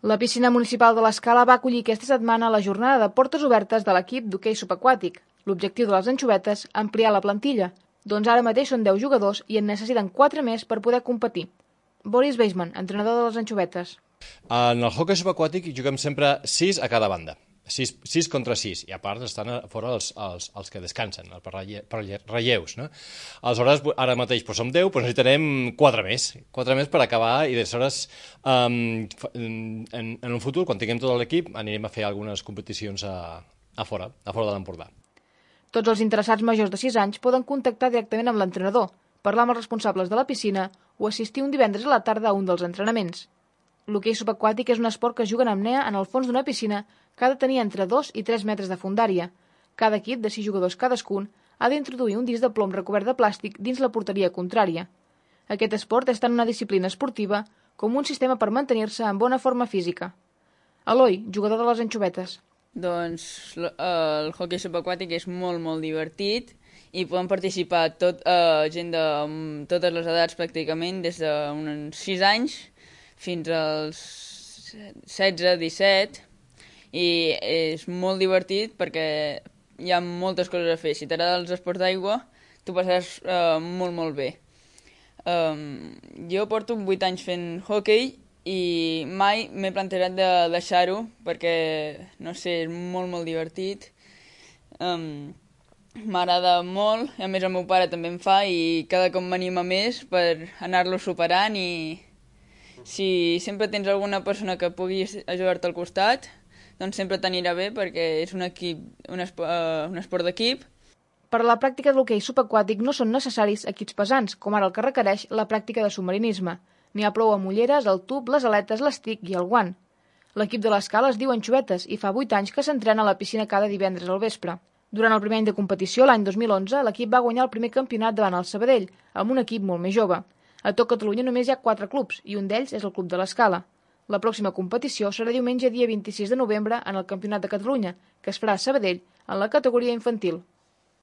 La piscina municipal de l'Escala va acollir aquesta setmana la jornada de portes obertes de l'equip d'hoquei subaquàtic. L'objectiu de les anxovetes, ampliar la plantilla. Doncs ara mateix són 10 jugadors i en necessiten 4 més per poder competir. Boris Weisman, entrenador de les anxovetes. En el hoquei subaquàtic juguem sempre 6 a cada banda. 6 contra 6, i a part estan a fora els que descansen, per relleus, no? Aleshores, ara mateix som 10, però necessitarem 4 més per acabar, i aleshores en un futur, quan tinguem tot l'equip, anirem a fer algunes competicions a fora de l'Empordà. Tots els interessats majors de 6 anys poden contactar directament amb l'entrenador, parlar amb els responsables de la piscina o assistir un divendres a la tarda a un dels entrenaments. L'hoquei subaquàtic és un esport que es juga en apnea en el fons d'una piscina que ha de tenir entre 2 i 3 metres de fondària. Cada equip, de 6 jugadors cadascun, ha d'introduir un disc de plom recobert de plàstic dins la porteria contrària. Aquest esport és tant una disciplina esportiva com un sistema per mantenir-se en bona forma física. Eloi, jugador de les anxovetes. Doncs el hoquei subaquàtic és molt, molt divertit i poden participar gent de totes les edats pràcticament, des d'uns 6 anys fins als 16-17, i és molt divertit perquè hi ha moltes coses a fer. Si t'agrada els esports d'aigua, t'ho passaràs molt, molt bé. Jo porto 8 anys fent hoquei i mai m'he plantejat de deixar-ho perquè, no sé, és molt, molt divertit. M'agrada molt, i a més el meu pare també em fa, i cada cop m'anima més per anar-lo superant, i si sempre tens alguna persona que pugui ajudar-te al costat, doncs sempre t'anirà bé perquè és un esport d'equip. Per a la pràctica de l'hoquei subaquàtic no són necessaris equips pesants, com ara el que requereix la pràctica de submarinisme. N'hi ha prou amb ulleres, el tub, les aletes, l'estic i el guant. L'equip de l'Escala es diu Anxovetes i fa 8 anys que s'entrena a la piscina cada divendres al vespre. Durant el primer any de competició, l'any 2011, l'equip va guanyar el primer campionat davant el Sabadell, amb un equip molt més jove. A tot Catalunya només hi ha 4 clubs, i un d'ells és el Club de l'Escala. La pròxima competició serà diumenge dia 26 de novembre en el Campionat de Catalunya, que es farà a Sabadell en la categoria infantil.